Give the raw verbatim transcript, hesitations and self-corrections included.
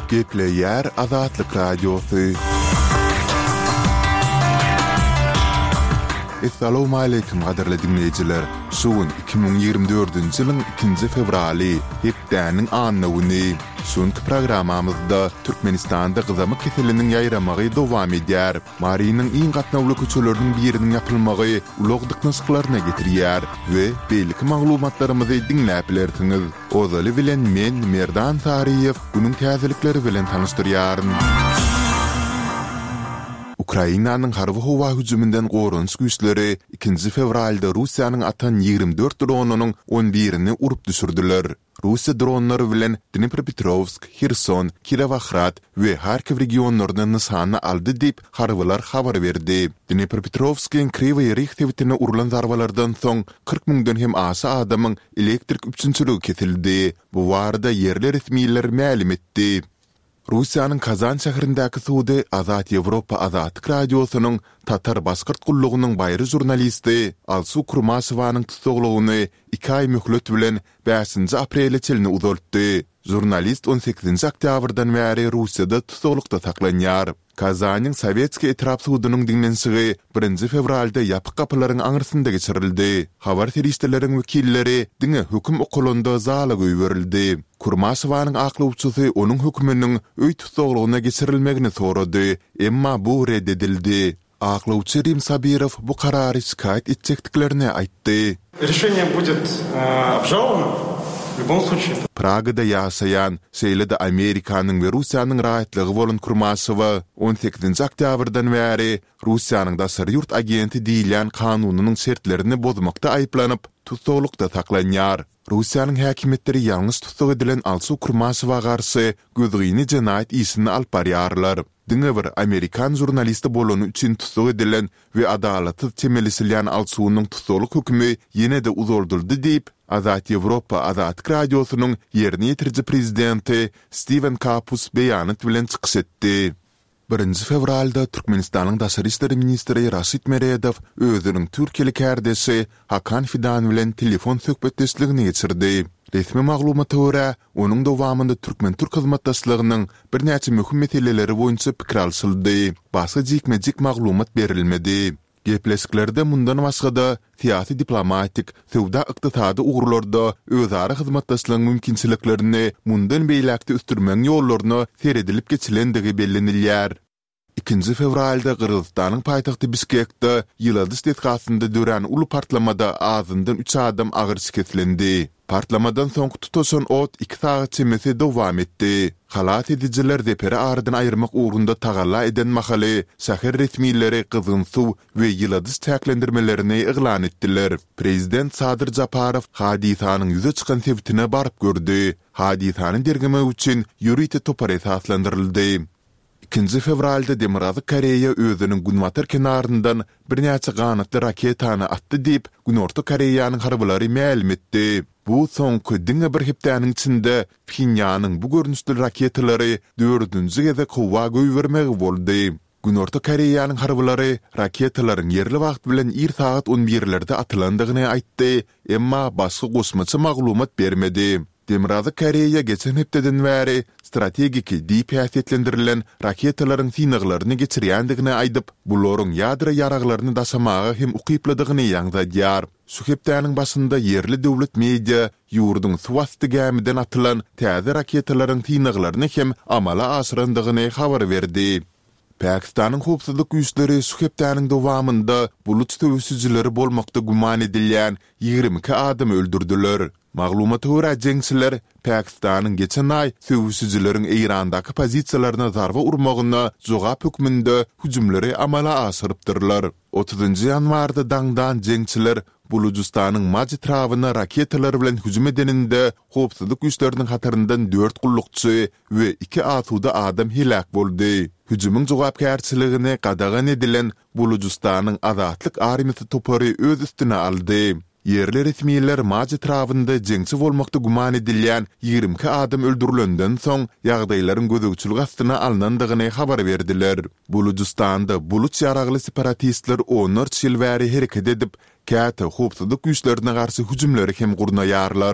Gepleýär Azatlyk Radiosy. Essalawmaleýkim gadyrly diňleýjiler! Şu gün iki müň ýigrimi dördünji ýylyň ikinji fewraly, hepdäniň anna güni. Şu günki programmamyzda Türkmenistanda gyzamyk keseliniň ýaýramagy dowam edýär. Marynyň iň gatnawly köçeleriniň biriniň ýapylmagy ulag dyknyşyklaryna getirýär we beýleki maglumatlarymyzy diňläp bilersiňiz. Ozaly bilen men, Merdan Saryýew, günüň täzelikleri bilen tanyşdyrýaryn. Ukrainanyň harby-howa hüjüminden goranyş güýçleri ikinji fewralda Russiýanyň atan ýigrimi dört dronynyň on birini urup düşürdiler. Russiýa dronlary bilen Dnepropetrowsk, Herson, Kirowohrad we Harkiw regionlaryny nyşana aldy diýip, harbylar habar berdi. Dnepropetrowskyň Kriwoý Rih sebitine urlan zarbalardan soň kyrk müňden hem aşa adamyň elektrik üpjünçiligi kesildi. Bu barada ýerli resmiler mälim etdi. Russiýanyň Kazan şäherindäki sudy Azat Ýewropa Azatlyk Radiosynyň Tatar-başgyrt gullugynyň baýry žurnalisti Alsu Kurmaşewanyň tussaglygyny iki aý möhlet bilen bäşinji aprele çenli uzaltdy. Žurnalist on sekizinji oktýabrdan bäri Russiýada tussaglykda saklanýar. Kazanyň Sowetskiý etrap sudunyň diňlenişigi birinji fewralda ýapyk gapylaryň aňyrsynda geçirildi. Habar serişdeleriň wekilleri diňe höküm okalanda zala goýberildi. Kurmaşewanyň aklawçysy onuň höküminiň öý tussaglygyna geçirilmegini sorady, emma bu ret edildi. Aklawçy Rim Sabirow bu karary şikaýat etjekdiklerini aýtdy. Rişeniýe budet obžalowano w lýubom sluçaýe. Pragada ýaşaýan, şeýle-de Amerikanyň we Russiýanyň raýatlygy bolan Kurmaşewa on sekizinji oktýabrdan bäri Russiýanyň daşary ýurt agenti diýilýän kanunynyň şertlerini bozmakda aýyplanyp, tussaglykda saklanýar. Russiýanyň häkimiýetleri ýalňyş tussag edilen Alsu Kurmaşewa garşy gözgyny jenaýat işini alyp barýarlar. Diňe bir amerikan žurnalisti bolany üçin tussag edilen we adalatsyz çemeleşilýän Alsunyň tussaglyk hökümi ýene-de uzaldyldy diýip, Azat Ýewropa Azatlyk Radiosynyň ýerine ýetiriji prezidenti Stiwen Kapus beýanat bilen çykyş etdi. Birinji fewralda Türkmenistanyň daşary işler ministri Raşid Meredow özüniň türkiýeli kärdeşi Hakan Fidan bilen telefon söhbetdeşligini geçirdi. Resmi maglumata görä, onuň dowamynda türkmen-türk hyzmatdaşlygynyň birnäçe möhüm meseleleri boýunça pikir alşyldy. Başga jikme-jik maglumat berilmedi. Gepleşiklerde mundan başga-da, syýasy-diplomatik, söwda-ykdysady ugurlarda özara hyzmatdaşlygyň mümkinçiliklerini mundan beýläk-de ösdürmegiň ýollaryna seredilip geçilendigi bellenilýär. Ikinji fewralda Gyrgyzystanyň paýtagty Bişkekde ýyladyş desgasynda dörän uly partlamada azyndan üç adam agyr şikeslendi. Partlamadan soňky tutaşan ot iki sagat çemesi dowam etdi. Halas edijiler zeperi aradan aýyrmak ugrunda tagalla eden mahaly, şäher resmileri gyzgyn suw we ýyladyş çäklendirmelerini yglan etdiler. Prezident Sadyr Japarow hadysanyň ýüze çykan sebitine baryp gördi. Hadysany derňemek üçin ýörite topar esaslandyryldy. Ikinji fewralda Demirgazyk Koreýa özüniň günbatar kenaryndan birnäçe ganatly raketany atdy diýip, Günorta Koreýanyň harbylary mälim etdi. Bu soňky diňe bir hepdäniň içinde Phenýanyň bu görnüşli raketalary dördünji gezek howa goýbermegi boldy. Günorta Koreýanyň harbylary raketalaryň ýerli wagt bilen ir sagat on birlerde atylandygyny aýtdy, emma başga goşmaça maglumat bermedi. Demirgazyk Koreýa geçen hepdeden bäri strategiki diýip häsiýetlendirilen raketalaryň synaglaryny geçirýändigini aýdyp, bularyň ýadro ýaraglaryny daşamaga hem ukyplydygyny ýaňzadýar. Şu hepdäniň başynda ýerli döwlet media ýurduň suwasty gämiden atylan täze raketalaryň synaglaryny hem amala aşyrandygyny habar berdi. Pakistanyň howpsuzlyk güýçleri şu hepdäniň dowamynda buluç söweşijileri bolmakda güman edilýän ýigrimi iki adamy öldürdiler. Maglumata görä, jeňçiler Pakistanyň geçen aý söweşijileriň Eýrandaky pozisiýalaryna zarba urmagyna jogap hökmünde hüjümleri amala aşyrypdyrlar. Otuzynjy ýanwarda daňdan jeňçiler Bulujystanyň Maj etrabyna raketalar bilen hüjüm edeninde howpsuzlyk güýçleriniň hataryndan dört gullukçy we iki asuda adam heläk boldy. Hüjümiň jogapkärçiligini gadagan edilen Bulujystanyň Azatlyk armiýasy topary öz üstüne aldy. Ýerli resmiler Maj etrabynda jeňçi bolmakda güman edilýän ýigrimi iki adam öldürilenden soň, ýagdaýlaryň gözegçilik astyna alnandygyny habar berdiler. Bulujystanda buluç ýaragly separatistler onlarça ýyl bäri hereket edip, käte howpsuzlyk güýçlerine garşy hüjümleri hem gurnaýarlar.